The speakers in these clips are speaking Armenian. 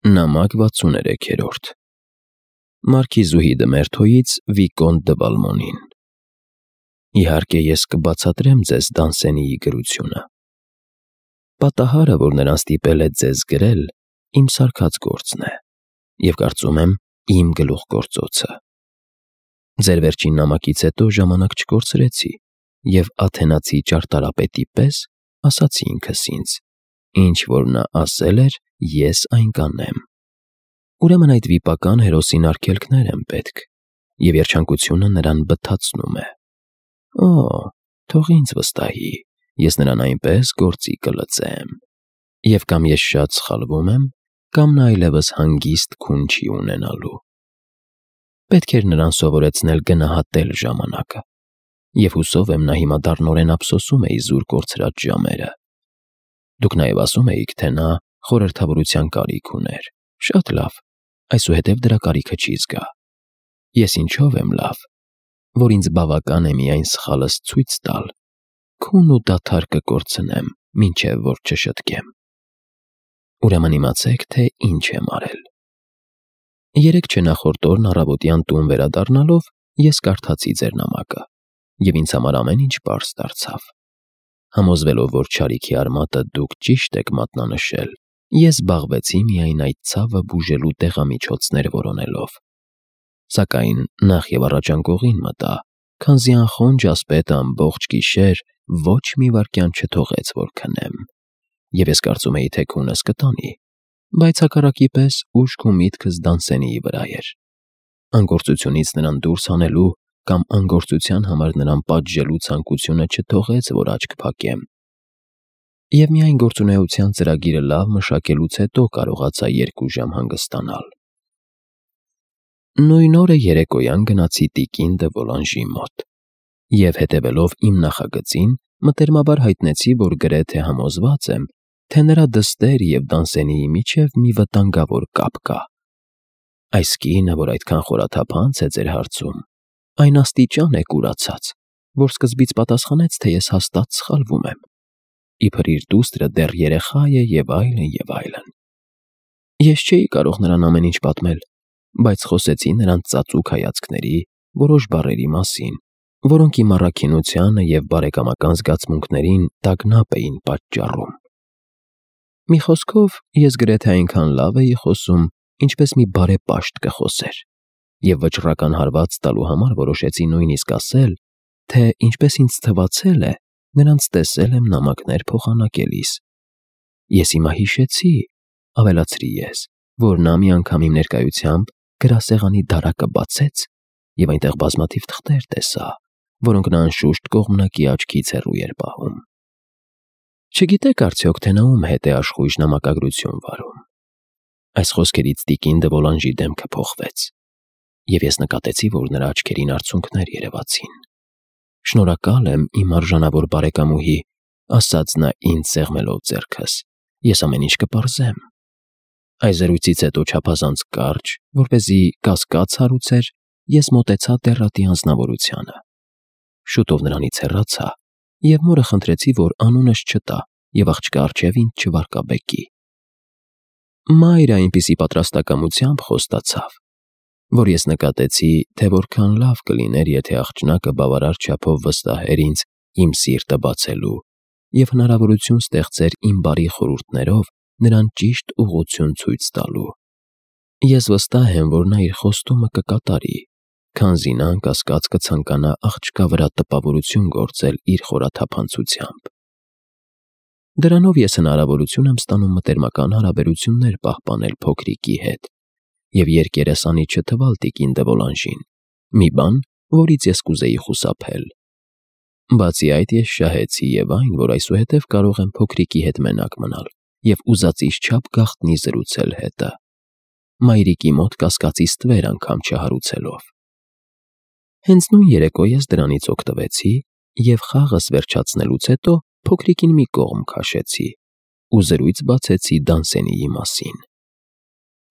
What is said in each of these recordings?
Նամակ 63-րդ Մարքիզուհի դը Մերթոյից Վիկոնտ դը Վալմոնին։ Իհարկե ես կբացատրեմ ձեզ Դանսենիի գրությունը։ Պատահարը, որ նրան ստիպել է ձեզ գրել, իմ սարքած գործն է, և կարծում եմ իմ գլուխգործոցը։ Ձեր վերջին նամակից հետո ժամանակ չկորցրեցի, և Աթենացի ճարտարապետի պես ասացի ինքս ինձ. ինչ որ նա ասել էր, ես այն կանեմ։ Ուրեմն այդ վիպական հերոսին արգելքներ են պետք, և երջանկությունը նրան բթացնում է։ Օ, թող ինձ վստահի, ես նրան այնպես գործի կլծեմ։ Եվ կամ ես շատ սխալվում եմ, կամ նա այլևս հանգիստ քուն չի ունենալու։ Պետք էր նրան սովորեցնել գնահատել ժամանակը, և հուսով եմ նա հիմա դառնորեն ափսոսում է իզուր կորցրած ժամերը։ Դուք նաև ասում էիք, թե նա խորհրդավորության կարիք ուներ։ Շատ լավ, այսուհետև դրա կարիքը չի զգա։ Ես ինչով եմ լավ, որ ինձ բավական է միայն սխալս ցույց տալ, քուն ու դադար կկորցնեմ, մինչև որ չշտկեմ։ Ուրեմն իմացեք, թե ինչ եմ արել։ Երեկ չնախորդ օրն առավոտյան տուն վերադառնալով ես կարդացի ձեր նամակը, և ինձ համար ամեն ինչ պարզ դարձավ։ Համոզվելով, որ չարիքի արմատը դուք ճիշտ եք մատնանշել, ես զբաղվեցի միայն այդ ցավը բուժելու տեղամիջոցներ որոնելով։ Սակայն նախ և առաջ անկողին մտա, քանզի անխոնջ ասպետը ամբողջ գիշեր ոչ մի վայրկյան չթողեց, որ քնեմ, և ես կարծում էի, թե քունս կտանի, բայց հակառակի պես ուշք ու միտքս Դանսենիի վրա էր։ Անկործությունից նրան դուրս հանելու կամ անգործության համար նրան պատժելու ցանկությունը չթողեց, որ աչք փակեմ։ Եվ միայն գործունեության ծրագիրը լավ մշակելուց հետո կարողացա 2 ժամ հանգստանալ։ Նույն օրը երեկոյան գնացի տիկին դը Վոլանժի մոտ, և հետևելով իմ նախագծին, մտերմաբար հայտնեցի, որ գրեթե համոզված եմ, թե նրա դստեր և Դանսենիի միջև մի վտանգավոր կապ կա։ Այս կինը, որ այդքան խորաթափանց է ձեր հարցում, այն աստիճան է կուրացած, որ սկզբից պատասխանեց, թե ես հաստատ սխալվում եմ, իբր իր դուստրը դեռ երեխա է և այլն, և այլն։ Ես չէի կարող նրան ամեն ինչ պատմել, բայց խոսեցի նրան ծածուկ հայացքների, որոշ բառերի մասին, որոնք իմ առաքինությանը և բարեկամական զգացմունքներին տագնապ էին պատճառում։ Մի խոսքով, ես գրեթե այնքան լավ էի խոսում, ինչպես մի բարեպաշտ կխոսեր, և վճռական հարված տալու համար որոշեցի նույնիսկ ասել, թե ինչպես ինձ թվացել է, նրանց տեսել եմ նամակներ փոխանակելիս։ Ես հիմա հիշեցի, ավելացրի ես, որ նա մի անգամ իմ ներկայությամբ գրասեղանի դարակը բացեց և այնտեղ բազմաթիվ թղթեր տեսա, որոնք նա անշուշտ կողմնակի աչքից հեռու էր պահում։ Չգիտեք արդյոք, թե նա ում հետ է աշխույժ նամակագրություն վարում։ Այս խոսքերից տիկին դը Վոլանժի դեմքը փոխվեց, և ես նկատեցի, որ նրա աչքերին արցունքներ երևացին։ Շնորհակալ եմ, իմ արժանավոր բարեկամուհի, ասաց նա ինձ սեղմելով ձեռքս, ես ամեն ինչ կպարզեմ։ Այս զրույցից հետո չափազանց կարճ, որպեսզի կասկած հարուցեր, ես մոտեցա դեռատի անձնավորությանը։ Շուտով նրանից հեռացա, և մորը խնդրեցի, որ անունս չտա և աղջկա առջև ինձ չվարկաբեկի։ Մայրը այնպիսի պատրաստակամությամբ խոստացավ, որ ես նկատեցի, թե որքան լավ կլիներ, եթե աղջնակը բավարար չափով վստահեր ինձ իմ սիրտը բացելու և հնարավորություն ստեղծեր իմ բարի խորհուրդներով նրան ճիշտ ուղղություն ցույց տալու։ Ես վստահ եմ, որ նա իր խոստումը կկատարի, քանզի նա անկասկած կցանկանա աղջկա վրա տպավորություն գործել իր խորաթափանցությամբ։ Դրանով ես հնարավորություն եմ ստանում մտերմական հարաբերություններ պահպանել փոքրիկի հետ և երկերեսանի չթվալ տիկին դը Վոլանժին, մի բան, որից ես կուզեի խուսափել։ Բացի այդ, ես շահեցի և այն, որ այսուհետև կարող եմ փոքրիկի հետ մենակ մնալ և ուզածիս չափ գաղտնի զրուցել հետը, մայրիկի մոտ կասկածի ստվեր անգամ չհարուցելով։ Հենց նույն երեկո ես դրանից օգտվեցի և խաղս վերջացնելուց հետո փոքրիկին մի կողմ քաշեցի ու զրույց բացեցի Դանսենիի մասին։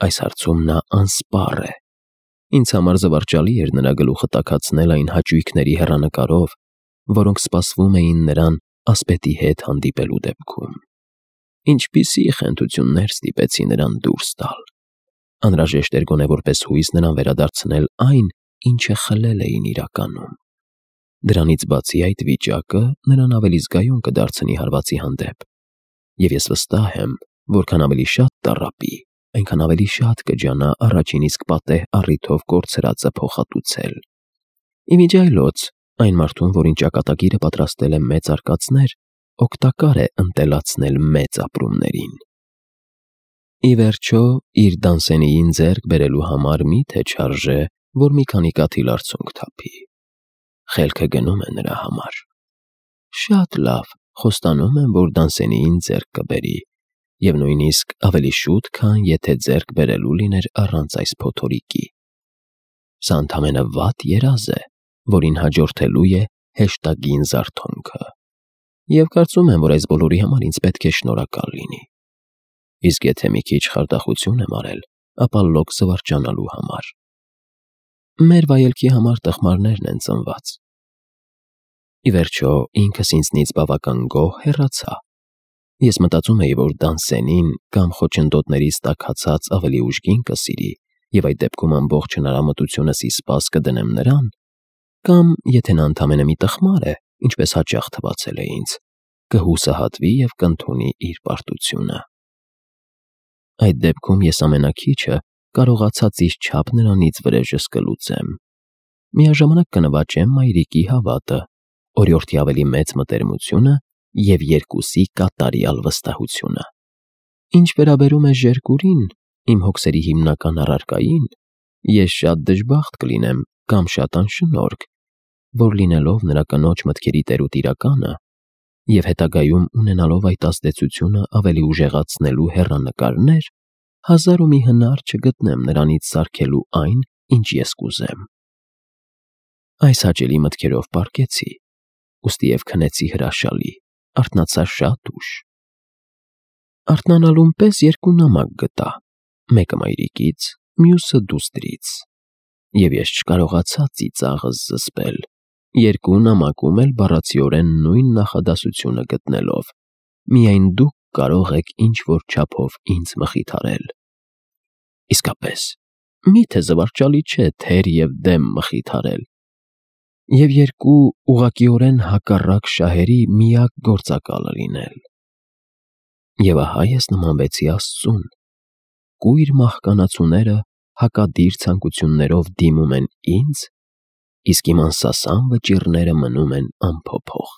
Այս հարցում նա անսպառ է։ Ինձ համար զվարճալի էր նրա գլուխը տաքացնել այն հաճույքների հեռանկարով, որոնք սպասվում էին նրան ասպետի հետ հանդիպելու դեպքում։ Ինչպիսի խենթություններ ստիպեցի նրան դուրս տալ։ Անհրաժեշտ էր գոնե որպես հույս նրան վերադարձնել այն, ինչը խլել էին իրականում։ Դրանից բացի այդ վիճակը նրան ավելի զգայուն կդարձնի հարվածի հանդեպ, եւ ես վստահ եմ, որքան ավելի շատ տառապի, այնքան ավելի շատ կջանա առաջին իսկ պատեհ առիթով կորցրածը փոխհատուցել։ Իմիջիայլոց, այն մարդուն, որին ճակատագիրը պատրաստել է մեծ արկածներ, օգտակար է ընտելացնել մեծ ապրումներին։ Ի վերջո, իր Դանսենիին ձեռք բերելու համար միթե չարժե, որ մի քանի կաթիլ արցունք թափի։ Խելքը գնում է նրա համար։ Շատ լավ, խոստանում եմ, որ Դանսենիին ձեռք կբերի, եւ նույնիսկ ավելի շուտ, քան եթե ձեռք բերելու լիներ առանց այս փոթորիկի։ Սա ընդամենը վատ երազ է, որին հաջորդելու է հեշտագին զարթոնքը։ Եվ կարծում եմ, որ այս բոլորի համար ինձ պետք է շնորհակալ լինի։ Իսկ եթե մի քիչ խարդախություն եմ արել, ապա լոկ զվարճանալու համար։ Մեր վայելքի համար տխմարներն են ծնված։ Ի վերջո, ինքս ինձնից բավական գոհ հեռացա։ Ես մտածում էի, որ Դանսենին կամ խոչընդոտներից տաքացած ավելի ուժգին կսիրի, եւ այդ դեպքում ամբողջ հնարամտությունս ի սպաս կդնեմ նրան, կամ եթե նա ընդամենը մի տխմար է, ինչպես հաճախ թվացել է ինձ, կհուսահատվի եւ կընդունի իր պարտությունը։ Այդ դեպքում ես ամենաքիչը կարողացած իր չափ նրանից վրեժս կլուծեմ։ Միաժամանակ կնվաճեմ մայրիկի հավատը, օրիորդի ավելի մեծ մտերմությունը եւ երկուսի կատարյալ վստահությունը։ Ինչ վերաբերում է Ժերկուրին, իմ հոգսերի հիմնական առարկային, ես շատ դժբախտ կլինեմ կամ շատ անշնորհք, որ լինելով նրա կնոջ մտքերի տերուտիրականը եւ հետագայում ունենալով այդ ազդեցությունը ավելի ուժեղացնելու հեռանկարներ, հազար ու մի հնար չգտնեմ նրանից սարքելու այն, ինչ ես կուզեմ։ Այս հաճելի մտքերով պառկեցի, ուստի եւ քնեցի հրաշալի, արթնացա շատ ուշ։ Արթնանալուն պես երկու նամակ գտա, մեկը մայրիկից, մյուսը դուստրից, եւ ես չկարողացա ծիծաղս զսպել, երկու նամակում էլ բառացիորեն նույն նախադասությունը գտնելով. միայն դուք կարող եք ինչ-որ չափով ինձ մխիթարել։ Իսկապես, միթե զվարճալի չէ թեր եւ դեմ մխիթարել։ Եվ երկու ուղղակիորեն հակառակ շահերի միակ գործակալը լինել։ Եվ ահա ես նմանվեցի Աստծուն։ Կույր մահկանացուները հակադիր ցանկություններով դիմում են ինձ, իսկ իմ անսասան վճիռները մնում են անփոփոխ։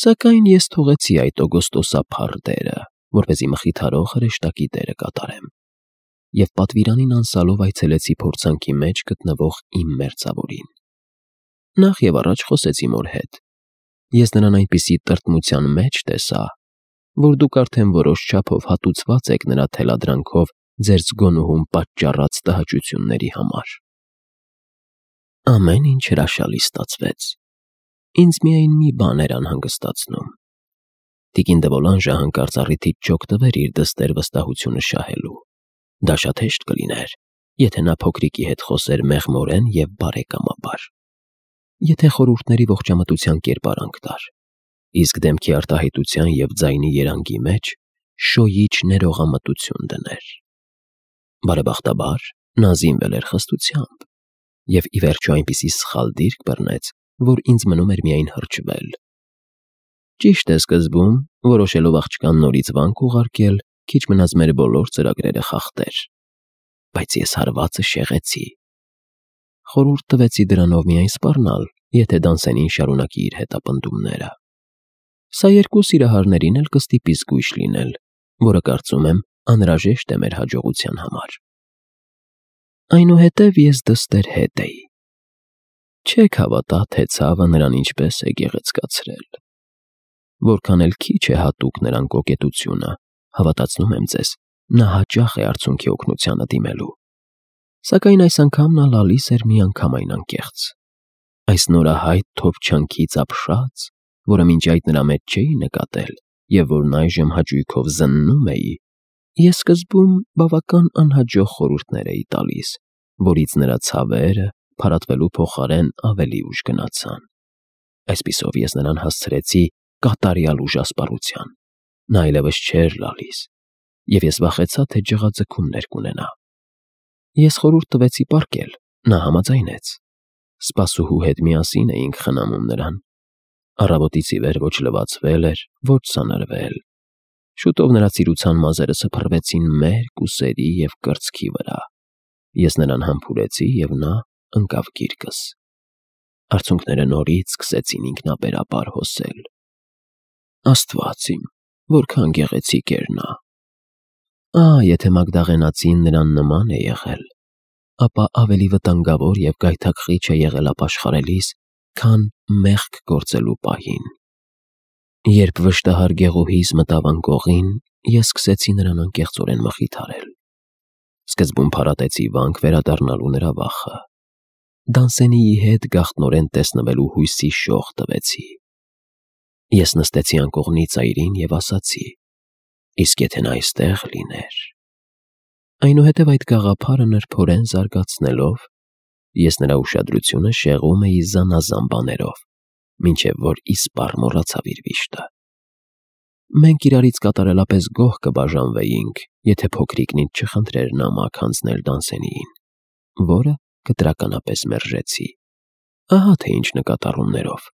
Սակայն ես թողեցի այդ օգոստոսափառ դերը, որպեսզի մխիթարող հրեշտակի դերը կատարեմ, եւ պատվիրանին անցալով այցելեցի փորձանքի մեջ գտնվող իմ մերձավորին։ Նախ եւ առաջ խոսեցի մոր հետ։ Ես նրան այնպիսի տրտմության մեջ տեսա, որ դուք արդեն որոշ չափով հատուցված եք նրա թելադրանքով ձեր զգոնուհուն պատճառած տհաճությունների համար։ Ամեն ինչ հրաշալի ստացվեց։ Ինձ միայն մի բան էր անհանգստացնում։ Տիկին Դվոլանժը հանկարծ առիթից չօգտվեր իր դստեր վստահությունը շահելու։ Դա շատ հեշտ կլիներ, եթե նա փոքրիկի հետ խոսեր մեղմորեն եւ բարեկամաբար, եթե խորհուրդների ողջամտության կերպարանք տար, իսկ դեմքի արտահայտության եւ ձայնի երանգի մեջ շոյիչ ներողամտություն դներ։ Բարեբախտաբար նա զինվել էր խստությամբ եւ ի վերջո այնպիսի սխալ դիրք բռնեց, որ ինձ մնում էր միայն հրճվել։ Ճիշտ է, սկզբում, որոշելով աղջկան նորից վանք ուղարկել, քիչ մնաց մեր բոլոր ծրագրերը խախտեր, բայց ես հարվածը շեղեցի։ Խորհուրդ տվեցի դրանով միայն սպառնալ, եթե Դանսենին շարունակի իր հետապնդումները։ Սա երկու սիրահարներին էլ կստիպի զգույշ լինել, որը կարծում եմ անհրաժեշտ է մեր հաջողության համար։ Այնուհետև ես դստեր հետ էի։ Չեք հավատա, թե ցավը նրան ինչպես է գեղեցկացրել։ Որքան էլ քիչ է հատուկ նրան կոկետությունը, հավատացնում եմ ձեզ, նա հաճախ է արցունքի օգնությանը դիմելու։ Սակայն այս անգամ նա լալիս էր միանգամայն անկեղծ։ Այս նորահայտ թոփչանքից ապշած, որը մինչ այդ նրա մեջ չէի նկատել եւ որն այժմ հաճույքով զննում էի, ես սկզբում բավական անհաջող խորհուրդներ էի տալիս, որից նրա ցավերը փարատվելու փոխարեն ավելի ուժ գնացան։ Այսպիսով ես նրան հասցրեցի կատարյալ ուժասպառության։ Նա այլևս չէր լալիս։ և ես վախեցա, թե ջղաձգումներ կունենա։ Ես խորհուրդ տվեցի պառկել, նա համաձայնեց։ Սպասուհու հետ միասին էինք խնամում նրան։ Առավոտից ի վեր ոչ լվացվել էր, ոչ սանրվել։ Շուտով նրա սիրության մազերը սփռվեցին մերկ ուսերի և կրծքի վրա։ Ես նրան համբուրեցի, և նա ընկավ գիրկս։ Արցունքները նորից սկսեցին ինքնաբերաբար հոսել։ Աստված իմ, որքան գեղեցիկ էր նա։ Եթե մագդաղենացին նրան նման է եղել, ապա ավելի վտանգավոր և գայթակղիչ է եղել ապաշխարելիս, քան մեղք գործելու պահին։ Երբ վշտահար գեղուհիս մտավ անկողին, ես սկսեցի նրան անկեղծորեն մխիթարել։ Սկզբում փարատեցի վանք վերադառնալու նրա վախը։ Դանսենիի հետ գաղտնորեն տեսնվելու հույսի շող տվեցի։ Ես նստեցի անկողնի ծայրին և ասացի. իսկ եթե նա այստեղ լիներ։ Այնուհետև այդ գաղափարը նրբորեն զարգացնելով, ես նրա ուշադրությունը շեղում էի զանազան բաներով, մինչև որ իսպառ մոռացավ իր վիշտը։ Մենք իրարից կատարելապես գոհ կբաժանվեինք, եթե փոքրիկն ինձ չխնդրեր նամակ հանձնել Դանսենիին, որը կտրականապես մերժեցի։ Ահա թե ինչ նկատառումներով։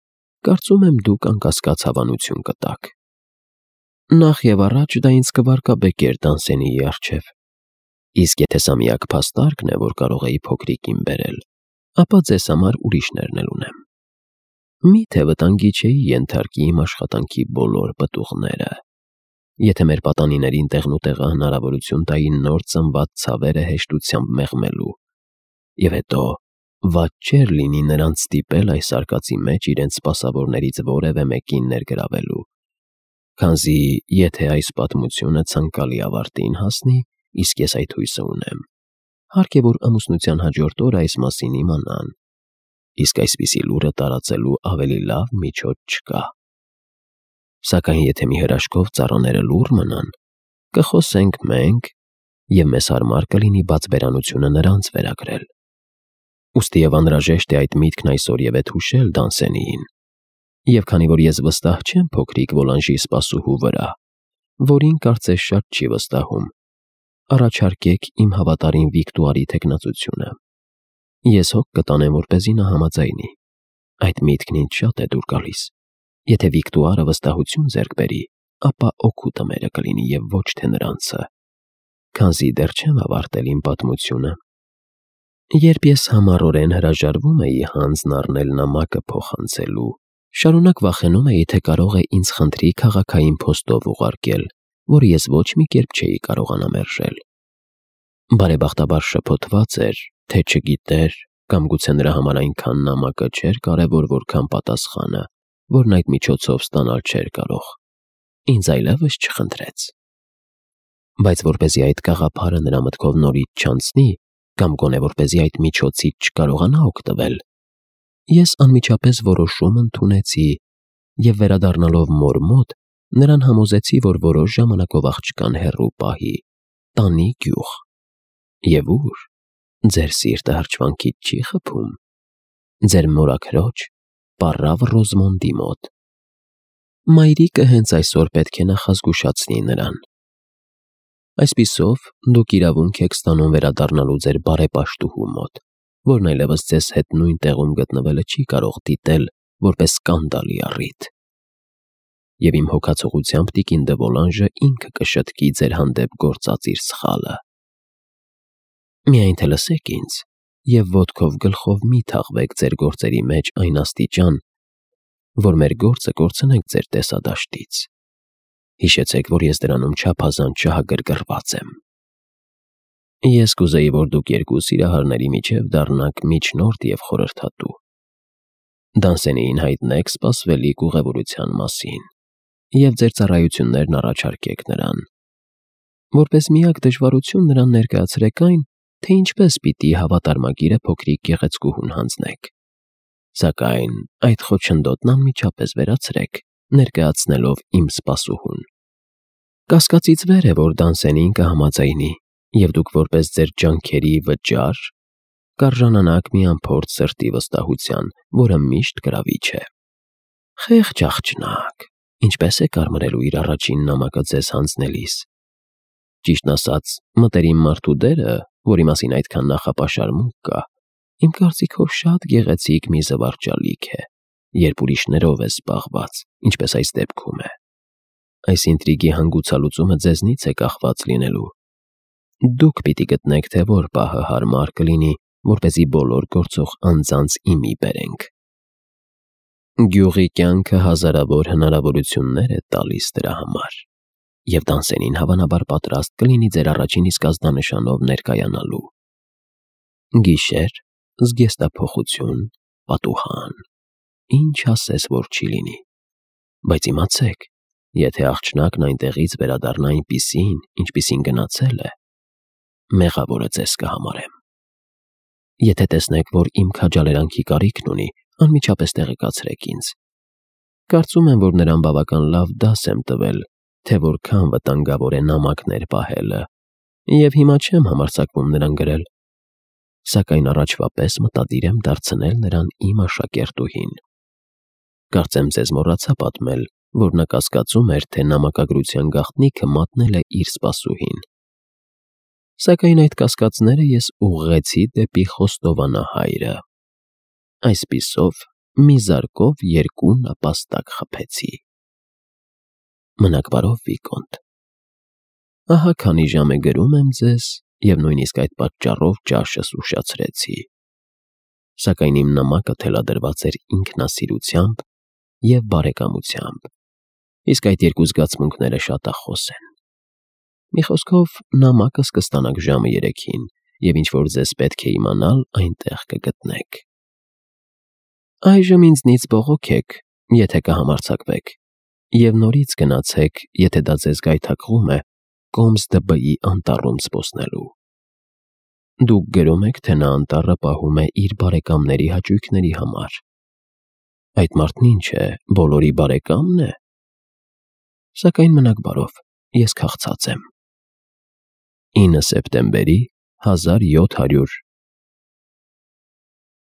Կարծում եմ դուք անկասկած հավանություն կտաք։ Նախ և առաջ դա ինձ կվարկաբեկեր Դանսենիի առջև։ Իսկ եթե սա միակ փաստարկն է, որ կարող էի փոքրիկին բերել, ապա ձեզ համար ուրիշներն էլ ունեմ։ Միթե վտանգի չէի ենթարկի իմ աշխատանքի բոլոր պտուղները։ Եթե մեր պատանիներին տեղնուտեղը հնարավորություն տային նոր ծնված ցավերը հեշտությամբ մեղմելու, և հետո վատ չէր լինի նրանց ստիպել այս արկածի մեջ իրենց սպասավորներից որևէ մեկին ներգրավելու, քանզի եթե այս պատմությունը ցանկալի ավարտին հասնի, իսկ ես այդ հույսը ունեմ, հարկ է որ ամուսնության հաջորդ օրը այս մասին իմանան, իսկ այսպիսի լուրը տարածելու ավելի լավ միջոց չկա։ Սակայն եթե մի հրաշքով ծառաները լուռ մնան, կխոսենք մենք, և մեզ հարմար կլինի բացբերանությունը նրանց վերագրել։ Ուստի և անհրաժեշտ է այդ միտքն այսօր եւեթ հուշել Դանսենիին, և քանի որ ես վստահ չեմ փոքրիկ Վոլանժի սպասուհու վրա, որին կարծես շատ չի վստահում, առաջարկեք իմ հավատարիմ Վիկտուարի թեկնածությունը։ Ես հոգ կտանեմ, որպեսզի նա համաձայնի։ Այդ միտքն ինձ շատ է դուր գալիս։ Եթե Վիկտուարը վստահություն ձեռք բերի, ապա օգուտը մերը կլինի և ոչ թե նրանցը, քանզի դեռ չեմ ավարտել իմ պատմությունը։ Երբ ես համառորեն հրաժարվում էի հանձն առնել նամակը փոխանցելու, շարունակ վախենում էի, թե կարող է ինձ խնդրի քաղաքային փոստով ուղարկել, որը ես ոչ մի կերպ չէի կարողանա մերժել։ Բարեբախտաբար շփոթված էր, թե չգիտեր կամ գուցե նրա համար այնքան նամակը չէր կարևոր, որքան պատասխանը, որն այդ միջոցով ստանալ չէր կարող։ Ինձ այլևս չխնդրեց։ Բայց որպեսզի այդ գաղափարը նրա մտքով նորից չանցնի, կամ գոնե որպեսզի այդ միջոցից չկարողանա օգտվել, ես անմիջապես որոշում ընդունեցի և վերադառնալով մոր մոտ, նրան համոզեցի, որ որոշ ժամանակով աղջկան հեռու պահի, տանի գյուղ։ Եվ ուր։ Ձեր սիրտը հրճվանքից չի խփում։ Ձեր մորաքրոջ պառավ Ռոզմոնդի մոտ։ Մայրիկը հենց այսօր պետք է նախազգուշացնի նրան։ Այսպիսով դուք իրավունք եք ստանում վերադառնալու ձեր բարեպաշտուհու մոտ, որն այլևս ձեզ հետ նույն տեղում գտնվելը չի կարող դիտել որպես սկանդալի առիթ։ Եվ իմ հոգացողությամբ տիկին դը Վոլանժը ինքը կշտկի ձեր հանդեպ գործած իր սխալը։ Միայն թե լսեք ինձ և ոտքով գլխով մի թաղվեք ձեր գործերի մեջ այն աստիճան, որ մեր գործը կորցնենք ձեր տեսադաշտից։ Հիշեցեք, որ ես դրանում չափազանց շահագրգռված եմ։ Ես կուզեի, որ դուք երկու սիրահարների միջև դառնաք միջնորդ և խորհրդատու։ Դանսենիին հայտնեք սպասվելիք ուղևորության մասին և ձեր ծառայություններն առաջարկեք նրան։ Որպես միակ դժվարություն նրան ներկայացրեք այն, թե ինչպես պիտի հավատարմագիրը փոքրիկ գեղեցկուհուն հանձնեք։ Սակայն այդ խոչընդոտն անմիջապես վերացրեք, ներկայացնելով իմ սպասուհուն։ Կասկածից վեր է, որ Դանսենին կհամաձայնի, և դուք որպես ձեր ջանքերի վճար կարժանանաք մի անփորձ սրտի վստահության, որը միշտ գրավիչ է։ Խեղճ աղջնակ, ինչպե՞ս է կարմրելու իր առաջին նամակը ձեզ հանձնելիս։ Ճիշտն ասած, մտերիմ մարդու դերը, որի մասին այդքան նախապաշար մուկ կա, իմ կարծիքով շատ գեղեցիկ մի զվարճալիք է, երբ ուրիշներով է զբաղված, ինչպես այս դեպքում է։ Այս ինտրիգի հանգուցալուծումը ձեզնից է կախված լինելու։ Դուք պիտի գտնեք, թե որ պահը հարմար կլինի, որպեսզի բոլոր գործող անձանց իմի բերենք։ Գյուղի կյանքը հազարավոր հնարավորություններ է տալիս դրա համար, և Դանսենին հավանաբար պատրաստ կլինի ձեր առաջին իսկ ազդանշանով ներկայանալու։ Գիշեր, զգեստափոխություն, պատուհան, ինչ ասես որ չի լինի, բայց իմացեք, եթե աղջնակն այնտեղից վերադառնա այնպիսին, ինչպիսին գնացել է, մեղավորը ձեզ կհամարեմ։ Եթե տեսնեք, որ իմ քաջալերանքի կարիքն ունի, անմիջապես տեղեկացրեք ինձ։ Կարծում եմ, որ նրան բավական լավ դաս եմ տվել, թե որքան վտանգավոր է նամակներ պահելը, և հիմա չեմ համարձակվում նրան գրել, սակայն առաջվա պես մտադիր եմ դարձնել նրան իմ աշակերտուհին։ Կարծեմ ձեզ մոռացա պատմել, որ նա կասկածում էր, թե նամակագրության գաղտնիքը մատնել է իր սպասուհին։ Սակայն այդ կասկածները ես ուղղեցի դեպի խոստովանահայրը։ Այսպիսով, մի զարկով երկու նապաստակ խփեցի։ Մնաք բարով, Վիկոնտ։ Ահա քանի ժամ է գրում եմ ձեզ, և նույնիսկ այդ պատճառով ճաշս ուշացրեցի։ Սակայն իմ նամակը թելադրված էր ինքնասիրությամբ և բարեկամությամբ, իսկ այդ երկու զգացմունքները շատախոս են։ Մի խոսքով, նամակս կստանաք ժամը 3-ին, և ինչ որ ձեզ պետք է իմանալ, այնտեղ կգտնեք։ Այժմ ինձնից բողոքեք, եթե կհամարձակվեք, և նորից գնացեք, եթե դա ձեզ գայթակղում է, Կոմս ԴԲ-ի անտառում զբոսնելու։ Դուք գրում եք, թե նա անտառը պահում է իր բարեկամների հաճույքների համար։ Այդ մարդն ինչ է, բոլորի բարեկամն է։ Սակայն մնաք բարով, ես քաղցած եմ։ 9 սեպտեմբերի 1700